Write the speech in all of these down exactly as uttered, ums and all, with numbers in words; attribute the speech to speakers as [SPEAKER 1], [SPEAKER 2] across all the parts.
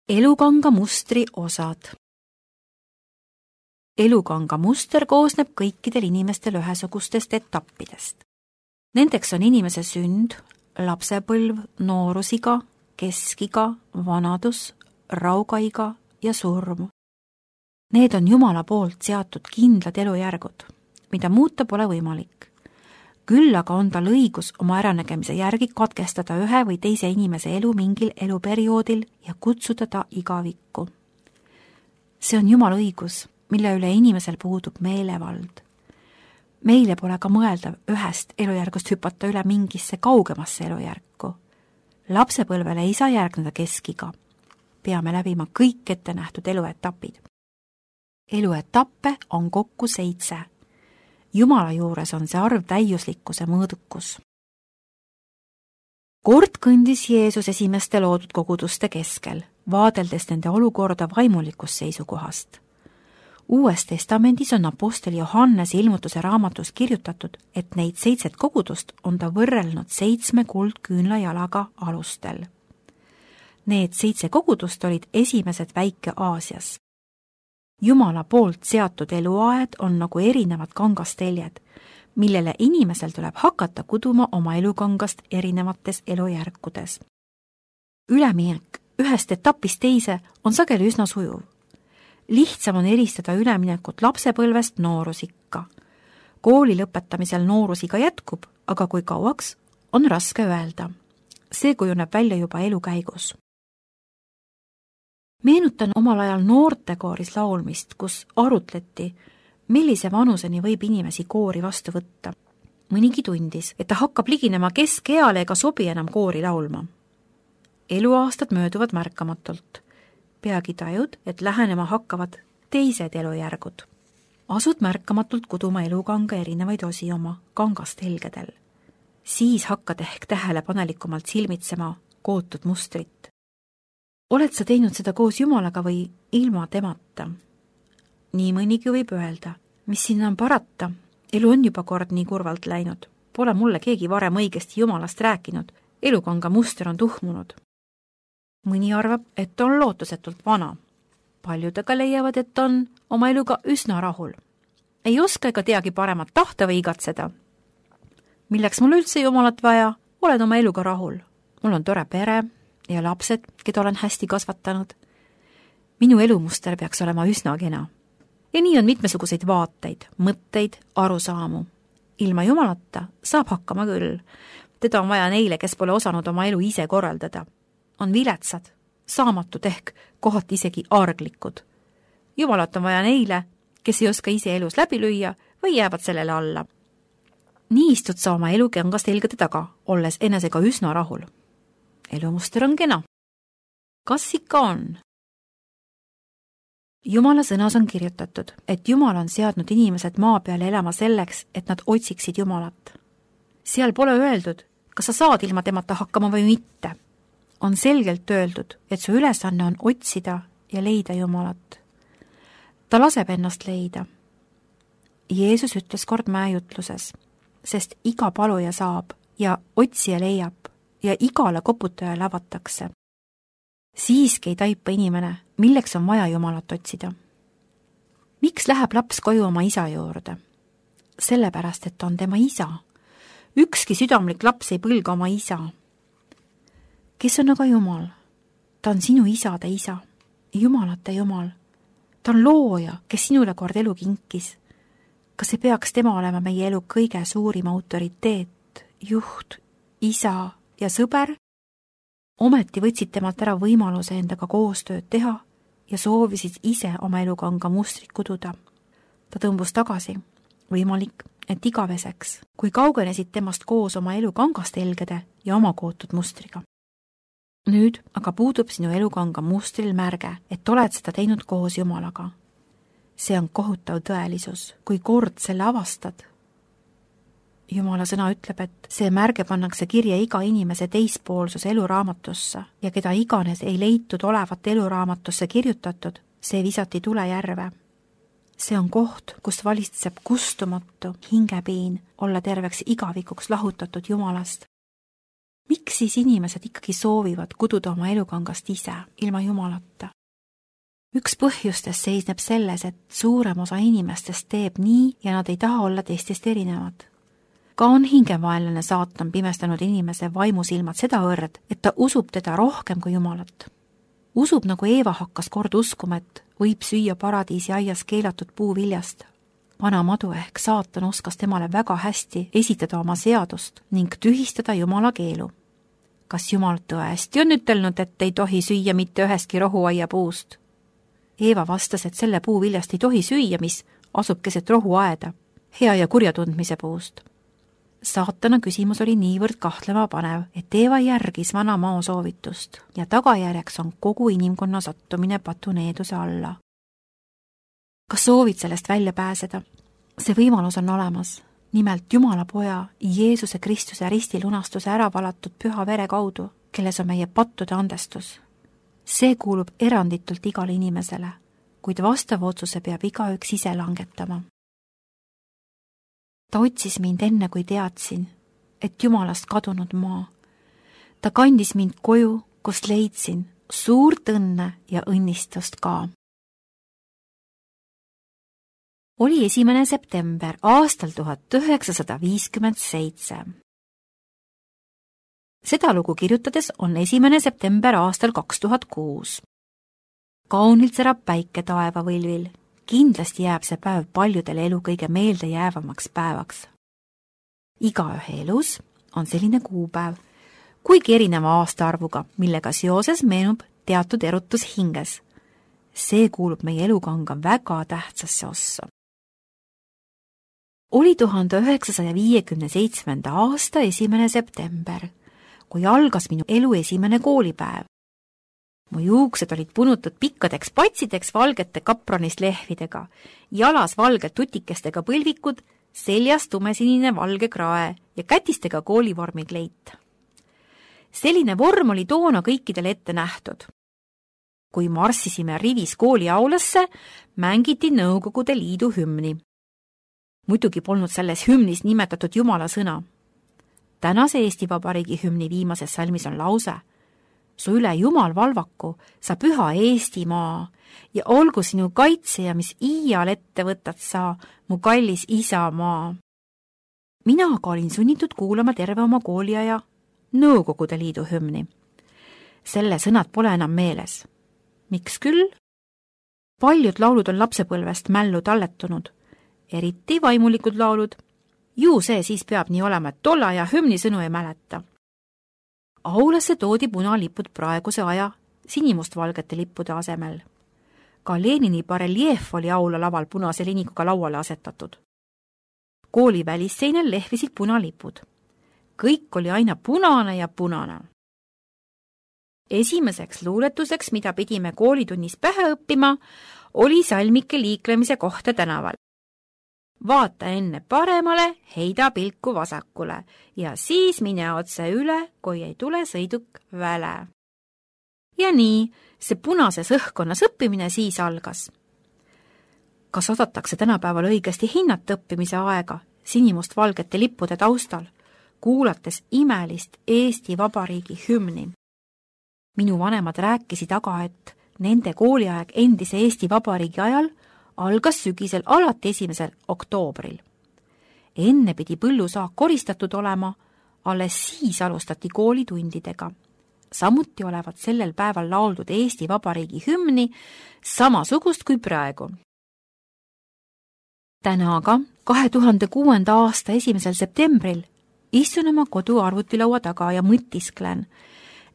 [SPEAKER 1] Elukanga mustri osad. Elukanga muster koosneb kõikidel inimestel ühesugustest etappidest. Nendeks on inimese sünd, lapsepõlv, noorusiga, keskiga, vanadus, raugaiga ja surm. Need on Jumala poolt seatud kindlad elujärgud, mida muuta pole võimalik. Küll aga on tal õigus oma äranägemise järgi katkestada ühe või teise inimese elu mingil eluperioodil ja kutsuda ta igavikku. See on Jumala õigus, mille üle inimesel puudub meelevald. Meile pole ka mõeldav ühest elujärgust hüpata üle mingisse kaugemasse elujärku. Lapsepõlvele ei saa järgneda keskiga. Peame läbima kõik ette nähtud eluetapid. Eluetappe on kokku seitse. Jumala juures on see arv täiuslikkuse mõõdukus. Kord kõndis Jeesus esimeste loodud koguduste keskel, vaadeldes nende olukorda vaimulikust seisukohast. Uues testamendis on apostel Johannese ilmutuse raamatus kirjutatud, et neid seitset kogudust on ta võrrelnud seitsme kuldküünlajalaga alustel. Need seitse kogudust olid esimesed Väike-Aasias. Jumala poolt seatud eluaed on nagu erinevad kangasteljed, millele inimesel tuleb hakata kuduma oma elukangast erinevates elujärkudes. Üleminek ühest etapist teise on sageli üsna sujuv. Lihtsam on eristada üleminekut lapsepõlvest noorusikka. Kooli lõpetamisel noorusiga jätkub, aga kui kauaks, on raske öelda. See kujuneb välja juba elu käigus. Meenutan omal ajal noortekooris laulmist, kus arutleti, millise vanuseni võib inimesi koori vastu võtta. Mõnigi tundis, et ta hakkab liginema keskeale ega sobi enam koori laulma. Eluaastad mööduvad märkamatult. Peagi tajud, et lähenema hakkavad teised elujärgud. Asud märkamatult kuduma elukanga erinevaid osi oma kangast helgedel. Siis hakkad ehk tähelepanelikumalt silmitsema kootud mustrit. Oled sa teinud seda koos Jumalaga või ilma temata? Nii mõnigi võib öelda, mis sinna on parata, elu on juba kord nii kurvalt läinud. Pole mulle keegi varem õigesti Jumalast rääkinud, elukanga muster on tuhmunud. Mõni arvab, et on lootusetult vana. Paljud aga leiavad, et on oma eluga üsna rahul. Ei oska ega teagi paremat tahta või igatseda. Milleks mul üldse Jumalat vaja, olen oma eluga rahul. Mul on tore pere ja lapsed, keda olen hästi kasvatanud. Minu elumuster peaks olema üsna kena. Ja nii on mitmesuguseid vaateid, mõtteid, arusaamu. Ilma Jumalata saab hakkama küll. Teda on vaja neile, kes pole osanud oma elu ise korraldada. On viletsad, saamatud ehk kohati isegi arglikud. Jumalat on vaja neile, kes ei oska ise elus läbi lüüa või jäävad sellele alla. Nii istud sa oma elu kangast helgade taga, olles enesega üsna rahul. Elumuster on kena. Kas ikka on? Jumala sõnas on kirjutatud, et Jumal on seadnud inimesed maa peale elama selleks, et nad otsiksid Jumalat. Seal pole öeldud, kas sa saad ilma temata hakkama või mitte. On selgelt öeldud, et su ülesanne on otsida ja leida Jumalat. Ta laseb ennast leida. Jeesus ütles kord mäejutluses, sest iga paluja saab ja otsija leiab ja igale koputajale avatakse. Siiski ei taipa inimene, milleks on vaja Jumalat otsida. Miks läheb laps koju oma isa juurde? Sellepärast, et on tema isa. Ükski südamlik laps ei põlga oma isa. Kes on aga Jumal? Ta on sinu isade isa, Jumalate Jumal. Ta on looja, kes sinule kord elu kinkis. Kas ei peaks tema olema meie elu kõige suurim autoriteet, juht, isa ja sõber? Ometi võtsid temalt ära võimaluse endaga koostööd teha ja soovisid ise oma elukanga mustrit kududa. Ta tõmbus tagasi, võimalik, et igaveseks, kui kaugenesid temast koos oma elukangast helgede ja oma kootud mustriga. Nüüd aga puudub sinu elukanga mustril märge, et oled seda teinud koos Jumalaga. See on kohutav tõelisus, kui kord selle avastad. Jumala sõna ütleb, et see märge pannakse kirja iga inimese teispoolsuse eluraamatusse ja keda iganes ei leitud olevat eluraamatusse kirjutatud, see visati tulejärve. See on koht, kust valitseb kustumatu hingepiin olla terveks igavikuks lahutatud Jumalast. Miks siis inimesed ikkagi soovivad kududa oma elukangast ise, ilma Jumalata? Üks põhjustest seisneb selles, et suurem osa inimestest teeb nii ja nad ei taha olla teistest erinevad. Ka on hingevaenlane saatan pimestanud inimese vaimusilmad sedavõrd, et ta usub teda rohkem kui Jumalat. Usub, nagu Eeva hakkas kord uskuma, et võib süüa paradiisi aias keelatud puuviljast. Vana madu ehk saatan oskas temale väga hästi esitada oma seadust ning tühistada Jumala keelu. Kas Jumal tõesti on ütelnud, et ei tohi süüa mitte ühestki rohuaia puust? Eeva vastas, et selle puuviljast ei tohi süüa, mis asub keset rohuaeda, hea ja kurja tundmise puust. Saatana küsimus oli niivõrd kahtlema panev, et Eeva järgis vana mao soovitust ja tagajärjeks on kogu inimkonna sattumine patuneeduse alla. Kas soovid sellest välja pääseda? See võimalus on olemas. Nimelt Jumala poja, Jeesuse Kristuse ristilunastuse ära valatud püha vere kaudu, kelles on meie pattude andestus. See kuulub eranditult igale inimesele, kuid vastav otsuse peab igaüks ise langetama. Ta otsis mind enne, kui teadsin, et Jumalast kadunud maa. Ta kandis mind koju, kust leidsin suurt õnne ja õnnistust ka. Oli esimene september aastal tuhat üheksasada viiskümmend seitse. Seda lugu kirjutades on esimene september aastal kaks tuhat kuus. Kaunilt särab päike taevavõlvil. Kindlasti jääb see päev paljudele elu kõige meelde jäävamaks päevaks. Igaühe elus on selline kuupäev, kuigi erineva aastaarvuga, millega seoses meenub teatud erutus hinges. See kuulub meie elukanga väga tähtsasse ossa. Oli tuhande üheksasaja viiekümne seitsmenda aasta esimene september, kui algas minu elu esimene koolipäev. Mu juuksed olid punutud pikkadeks patsideks valgete kapronist lehvidega, jalas valged tutikestega põlvikud, seljas tumesinine valge krae ja kätistega koolivormi kleit. Selline vorm oli toona kõikidele ette nähtud. Kui marssisime rivis kooli aulasse, mängiti Nõukogude Liidu hümni. Muidugi polnud selles hümnis nimetatud Jumala sõna. Tänase Eesti Vabariigi hümni viimases salmis on lause: su üle Jumal valvaku, sa püha Eestimaa ja olgu sinu kaitseja, mis iial ette võtad sa, mu kallis isamaa. Mina aga olin sunnitud kuulama terve oma kooliaja Nõukogude Liidu hümni. Selle sõnad pole enam meeles. Miks küll? Paljud laulud on lapsepõlvest mällu talletunud, eriti vaimulikud laulud. Ju see siis peab nii olema, et tolla ja hümni sõnu ei mäleta. Aulasse toodi punalipud praeguse aja sinimustvalgete lippude asemel. Ka Lenini bareljeef oli aula laval punase linikuga lauale asetatud. Kooli välisseinel lehvisid punalipud. Kõik oli aina punane ja punane. Esimeseks luuletuseks, mida pidime koolitunnis pähe õppima, oli salmike liiklemise kohta tänaval. Vaata enne paremale, heida pilku vasakule ja siis mine otse üle, kui ei tule sõiduk väle. Ja nii, see punases õhkkonnas õppimine siis algas. Kas osatakse tänapäeval õigesti hinnata õppimise aega sinimust valgete lippude taustal, kuulates imelist Eesti Vabariigi hümni? Minu vanemad rääkisid aga, et nende kooliaeg endise Eesti Vabariigi ajal algas sügisel alati esimesel oktoobril. Enne pidi põllusaak koristatud olema, alles siis alustati koolitundidega. Samuti olevat sellel päeval lauldud Eesti Vabariigi hümni samasugust kui praegu. Täna aga, kahe tuhande kuuenda aasta esimesel septembril, istun oma kodu arvutilaua taga ja mõtisklen,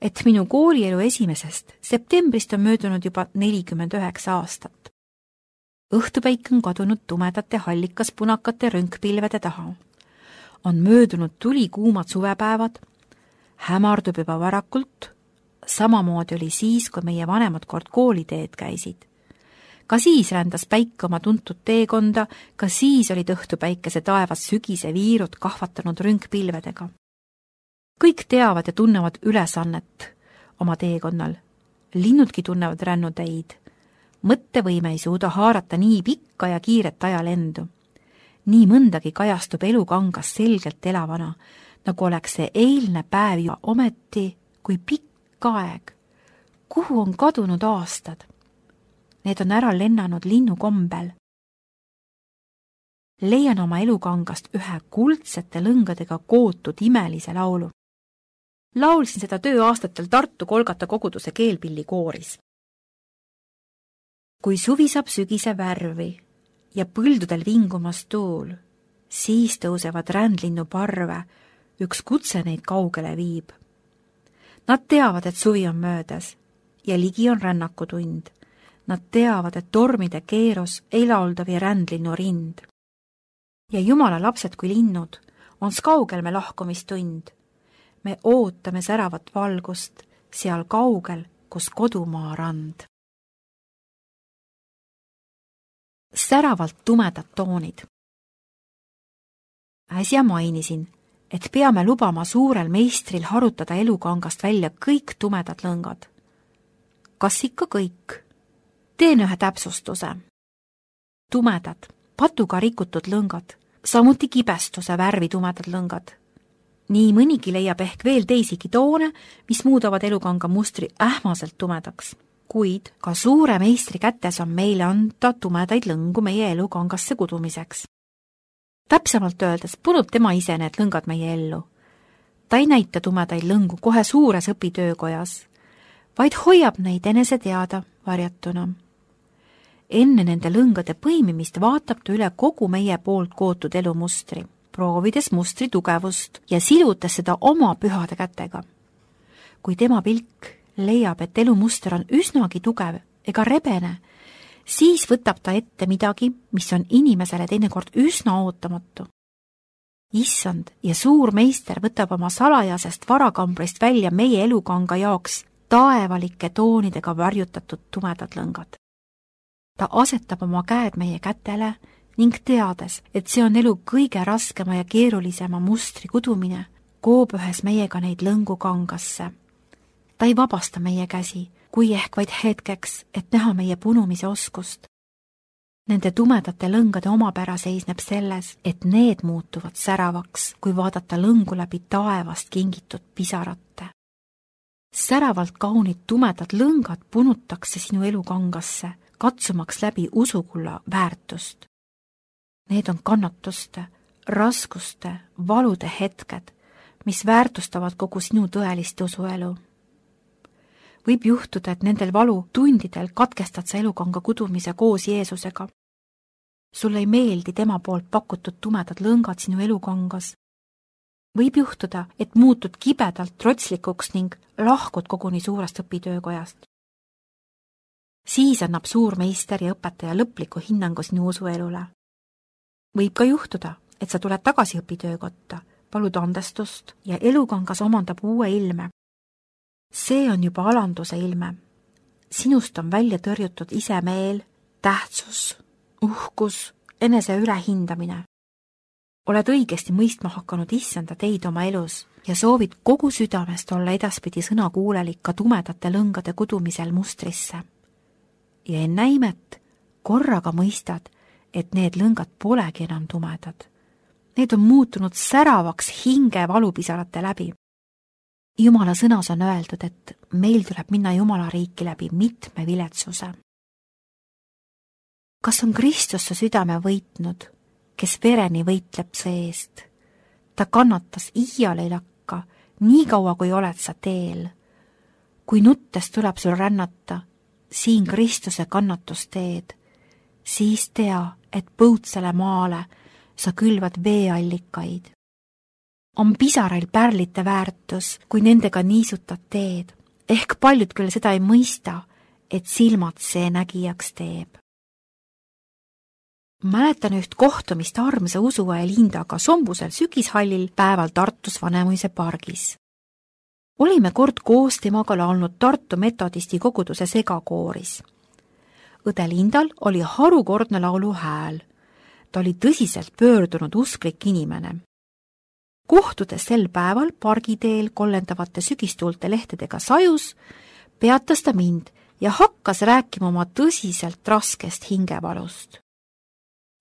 [SPEAKER 1] et minu koolielu esimesest septembrist on möödunud juba nelikümmend üheksa aastat. Õhtupäik on kadunud tumedate hallikas punakate rõnkpilvede taha. On möödunud tuli kuumad suvepäevad, hämardub juba varakult, samamoodi oli siis, kui meie vanemad kord kooliteed käisid. Ka siis rändas päik oma tuntud teekonda, ka siis olid õhtupäikese taevas sügise viirud kahvatanud rõnkpilvedega. Kõik teavad ja tunnevad ülesannet oma teekonnal. Linnudki tunnevad rännuteid. Mõttevõime ei suuda haarata nii pikka ja kiiret ajalendu. Nii mõndagi kajastub elukangas selgelt elavana, nagu oleks see eilne päev ja ometi kui pikk aeg. Kuhu on kadunud aastad? Need on ära lennanud linnu kombel. Leian oma elukangast ühe kuldsete lõngadega kootud imelise laulu. Laulsin seda tööaastatel Tartu Kolgata koguduse keelpillikooris. Kui suvi saab sügise värvi ja põldudel vingumas tuul, siis tõusevad rändlinnu parve, üks kutse neid kaugele viib. Nad teavad, et suvi on möödas ja ligi on rännakutund. Nad teavad, et tormide keeros ei lauldavi rändlinnu rind. Ja Jumala lapsed kui linnud, on kaugel me lahkumistund. Me ootame säravat valgust seal kaugel, kus kodumaa rand. Säravalt tumedad toonid. Äsja mainisin, et peame lubama suurel meistril harutada elukangast välja kõik tumedad lõngad. Kas ikka kõik? Teen ühe täpsustuse. Tumedad, patuga rikutud lõngad, samuti kibestuse värvi tumedad lõngad. Nii mõnigi leiab ehk veel teisigi toone, mis muudavad elukanga mustri ähmaselt tumedaks. Kuid ka suure meistri kätes on meile anda tumedaid lõngu meie elukangasse kudumiseks. Täpsemalt öeldes punub tema ise need lõngad meie ellu. Ta ei näita tumedaid lõngu kohe suures õpitöökojas, vaid hoiab neid enese teada varjatuna. Enne nende lõngade põimimist vaatab ta üle kogu meie poolt kootud elumustri, proovides mustri tugevust ja silutes seda oma pühade kätega. Kui tema pilk leiab, et elumuster on üsnagi tugev ega rebene, siis võtab ta ette midagi, mis on inimesele teinekord üsna ootamatu. Issand ja suur meister võtab oma salajasest varakambrist välja meie elukanga jaoks taevalike toonidega varjutatud tumedad lõngad. Ta asetab oma käed meie kätele ning teades, et see on elu kõige raskema ja keerulisema mustri kudumine, koob ühes meiega neid lõngu kangasse. Ta ei vabasta meie käsi, kui ehk vaid hetkeks, et näha meie punumise oskust. Nende tumedate lõngade omapära seisneb selles, et need muutuvad säravaks, kui vaadata lõngu läbi taevast kingitud pisarate. Säravalt kaunid tumedad lõngad punutakse sinu elukangasse, katsumaks läbi usukulla väärtust. Need on kannatuste, raskuste, valude hetked, mis väärtustavad kogu sinu tõelist usuelu. Võib juhtuda, et nendel valu tundidel katkestad sa elukanga kudumise koos Jeesusega. Sul ei meeldi tema poolt pakutud tumedad lõngad sinu elukangas. Võib juhtuda, et muutud kibedalt trotslikuks ning lahkud koguni suurest õpitöökojast. Siis annab suur meister ja õpetaja lõpliku hinnangu sinu usuelule. Võib ka juhtuda, et sa tuled tagasi õpitöökotta, palud andestust ja elukangas omandab uue ilme. See on juba alanduse ilme. Sinust on välja tõrjutud isemeel, tähtsus, uhkus, enese ülehindamine. Oled õigesti mõistma hakanud issanda teid oma elus ja soovid kogu südamest olla edaspidi sõnakuulelik ka tumedate lõngade kudumisel mustrisse. Ja enne imet korraga mõistad, et need lõngad polegi enam tumedad. Need on muutunud säravaks hinge valupisarate läbi. Jumala sõnas on öeldud, et meil tuleb minna Jumala riiki läbi mitme viletsuse. Kas on Kristus su südame võitnud, kes vereni võitleb see eest? Ta kannatas iial ei lakka, nii kaua kui oled sa teel. Kui nuttes tuleb sul rännata, siin Kristuse kannatus teed, siis tea, et põutsele maale sa külvad veeallikaid. On pisarail pärlite väärtus, kui nendega niisutad teed, ehk paljud küll seda ei mõista, et silmad see nägijaks teeb. Mäletan üht kohtumist armsa usuaja Lindaga sombusel sügishallil päeval Tartus Vanemuise pargis. Olime kord koos temaga laulnud Tartu metodisti koguduse segakooris. Õde Lindal oli harukordne laulu hääl. Ta oli tõsiselt pöördunud usklik inimene. Kohtudes sel päeval pargiteel kollendavate sügistuulte lehtedega sajus, peatas ta mind ja hakkas rääkima oma tõsiselt raskest hingevalust.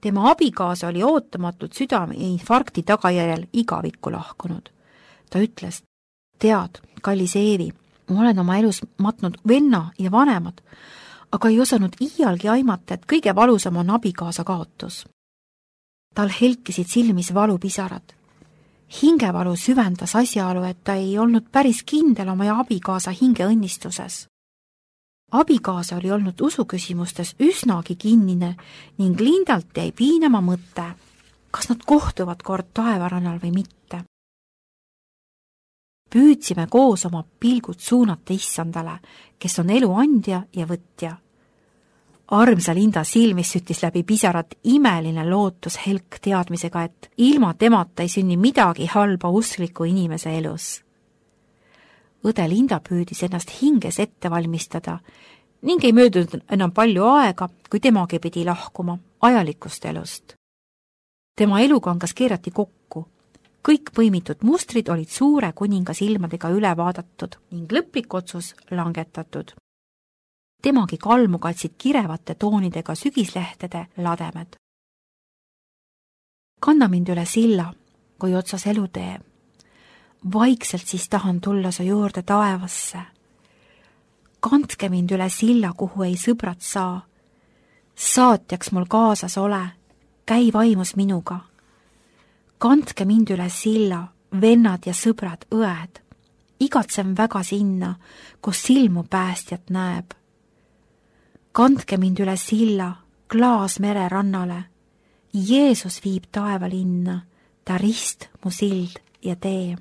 [SPEAKER 1] Tema abikaasa oli ootamatult südameinfarkti tagajärjel igavikku lahkunud. Ta ütles, tead, kallis Eevi, ma olen oma elus matnud venna ja vanemad, aga ei osanud iialgi aimata, et kõige valusam on abikaasa kaotus. Tal helkisid silmis valupisarad. Hingevalu süvendas asjaolu, et ta ei olnud päris kindel oma abikaasa hingeõnnistuses. Abikaasa oli olnud usuküsimustes üsnagi kinnine ning Lindalt jäi piinama mõte, kas nad kohtuvad kord taevarannal või mitte. Püüdsime koos oma pilgud suunata issandale, kes on elu andja ja võtja. Armsa Linda silmis süttis läbi pisarat imeline lootus helk teadmisega, et ilma temata ei sünni midagi halba uskliku inimese elus. Õde Linda püüdis ennast hinges ette valmistada ning ei möödunud enam palju aega, kui temagi pidi lahkuma ajalikust elust. Tema elukangas keerati kokku. Kõik põimitud mustrid olid suure kuninga silmadega üle vaadatud ning lõplik otsus langetatud. Temagi kalmu katsid kirevate toonidega sügislehtede lademed. Kanna mind üle silla, kui otsas elutee. Vaikselt siis tahan tulla su juurde taevasse. Kandke mind üle silla, kuhu ei sõbrad saa. Saatjaks mul kaasas ole, käi vaimus minuga. Kandke mind üle silla, vennad ja sõbrad, õed. Igatsem väga sinna, kus silmu päästjat näeb. Kandke mind üle silla, klaas mere rannale. Jeesus viib taevalinna, ta rist, mu sild ja tee.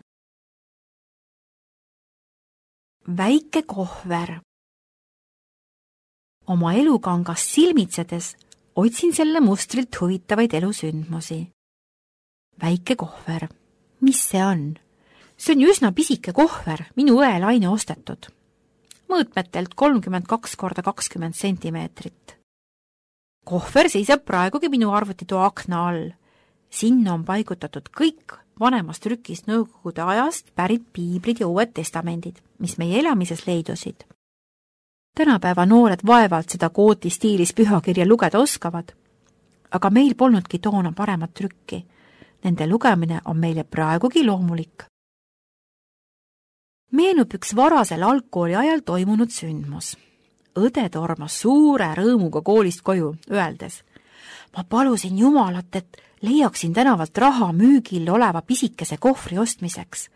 [SPEAKER 1] Väike kohver. Oma elukangas silmitsedes otsin selle mustrilt huvitavaid elusündmusi. Väike kohver. Mis see on? See on ju üsna pisike kohver, minu õe Laine ostetud. Mõõtmetelt kolmkümmend kaks korda kakskümmend sentimeetrit. Kohver seisab praegugi minu arvutitoa akna all. Sinna on paigutatud kõik vanemast trükist nõukogude ajast pärit piiblid ja uued testamendid, mis meie elamises leidusid. Tänapäeva noored vaevalt seda kooti stiilis pühakirja lugeda oskavad, aga meil polnudki toona paremat trükki. Nende lugemine on meile praegugi loomulik. Meenub üks varasel algkooli ajal toimunud sündmus. Õde tormas suure rõõmuga koolist koju, öeldes, ma palusin Jumalat, et leiaksin tänavalt raha müügil oleva pisikese kohvri ostmiseks.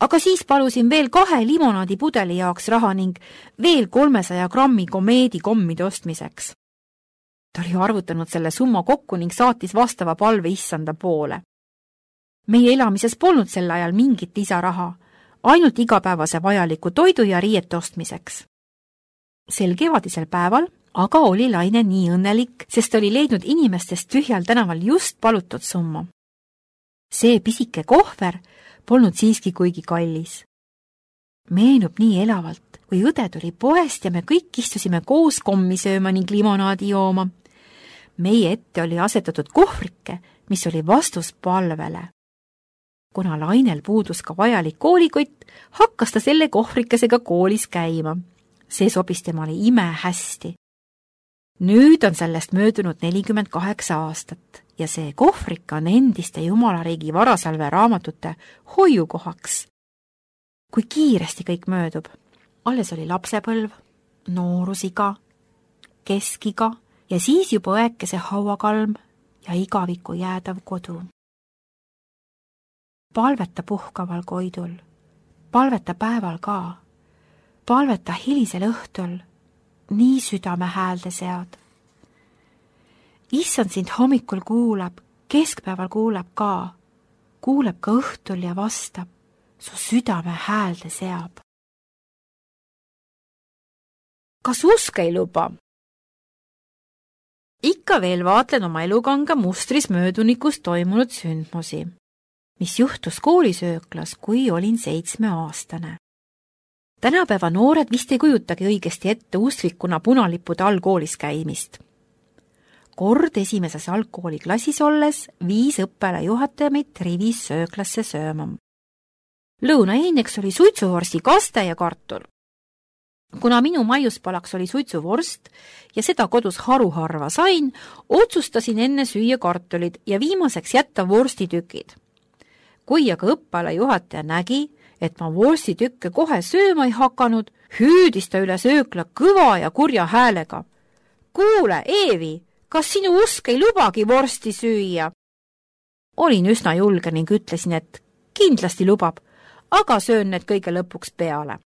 [SPEAKER 1] Aga siis palusin veel kahe limonaadipudeli jaoks raha ning veel kolmesaja grammi komeedi kommide ostmiseks. Ta oli arvutanud selle summa kokku ning saatis vastava palve issanda poole. Meie elamises polnud sel ajal mingit lisaraha, ainult igapäevase vajaliku toidu ja riiete ostmiseks. Sel kevadisel päeval aga oli Laine nii õnnelik, sest oli leidnud inimestest tühjal tänaval just palutud summa. See pisike kohver polnud siiski kuigi kallis. Meenub nii elavalt, kui õde tuli poest ja me kõik istusime koos kommi sööma ning limonaadi jooma. Meie ette oli asetatud kohvrike, mis oli vastus palvele. Kuna Lainel puudus ka vajalik koolikott, hakkas ta selle kohvrikesega koolis käima. See sobis temale ime hästi. Nüüd on sellest möödunud nelikümmend kaheksa aastat ja see kohvrik on endiste Jumalariigi varasalve raamatute hoiukohaks. Kui kiiresti kõik möödub. Alles oli lapsepõlv, noorusiga, keskiga ja siis juba õekese hauakalm ja igaviku jäädav kodu. Palveta puhkaval koidul, palveta päeval ka, palveta hilisel õhtul, nii südame häälde sead. Issand sind hommikul kuulab, keskpäeval kuulab ka, kuulab ka õhtul ja vastab, su südame häälde seab. Kas usk ei luba? Ikka veel vaatlen oma elukanga mustris möödunikus toimunud sündmusi, mis juhtus koolisööklas, kui olin seitsmeaastane. Tänapäeva noored vist ei kujutagi õigesti ette usklikuna punalippude all koolis käimist. Kord esimeses algkooli klassis olles viis õppelajuhataja meid rivis sööklasse sööma. Lõunaeineks oli suitsuvorsti kaste ja kartul. Kuna minu maiuspalaks oli suitsuvorst ja seda kodus haruharva sain, otsustasin enne süüa kartulid ja viimaseks jätta vorstitukid. kui aga õppealajuhataja nägi, et ma vorstitükke kohe sööma ei hakanud, hüüdis ta üle söökla kõva ja kurja häälega. Kuule, Eevi, kas sinu usk ei lubagi vorsti süüa? Olin üsna julge ning ütlesin, et kindlasti lubab, aga söön need kõige lõpuks peale.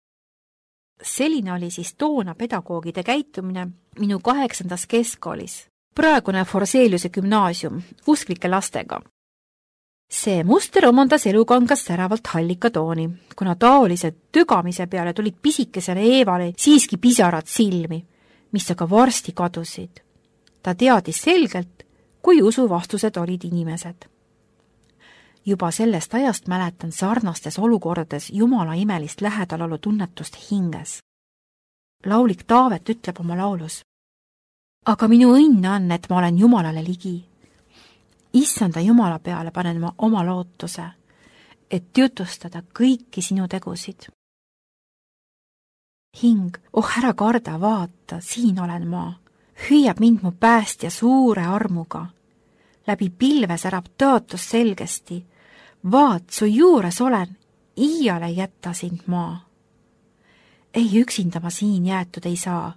[SPEAKER 1] Selline oli siis toona pedagoogide käitumine minu kaheksandas keskkoolis, praegune Forseliuse gümnaasium, usklike lastega. See muster omandas elukangas säravalt hallika tooni, kuna taolise tügamise peale tulid pisikesele Eevale siiski pisarad silmi, mis aga varsti kadusid. Ta teadis selgelt, kui usuvastused olid inimesed. Juba sellest ajast mäletan sarnastes olukordades Jumala imelist lähedalolu tunnetust hinges. Laulik Taavet ütleb oma laulus: aga minu õnn on, et ma olen Jumalale ligi. Issanda Jumala peale panen ma oma lootuse, et jutustada kõiki sinu tegusid. Hing, oh ära karda, vaata, siin olen ma. Hüüab mind mu päästja suure armuga. Läbi pilve särab tõotus selgesti. Vaat, su juures olen, iiale jätta sind maa. Ei üksinda ma siin jäetud ei saa.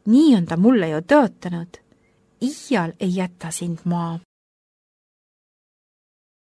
[SPEAKER 1] Nii on ta mulle ju tõotanud. Iial ei jätta sind maa.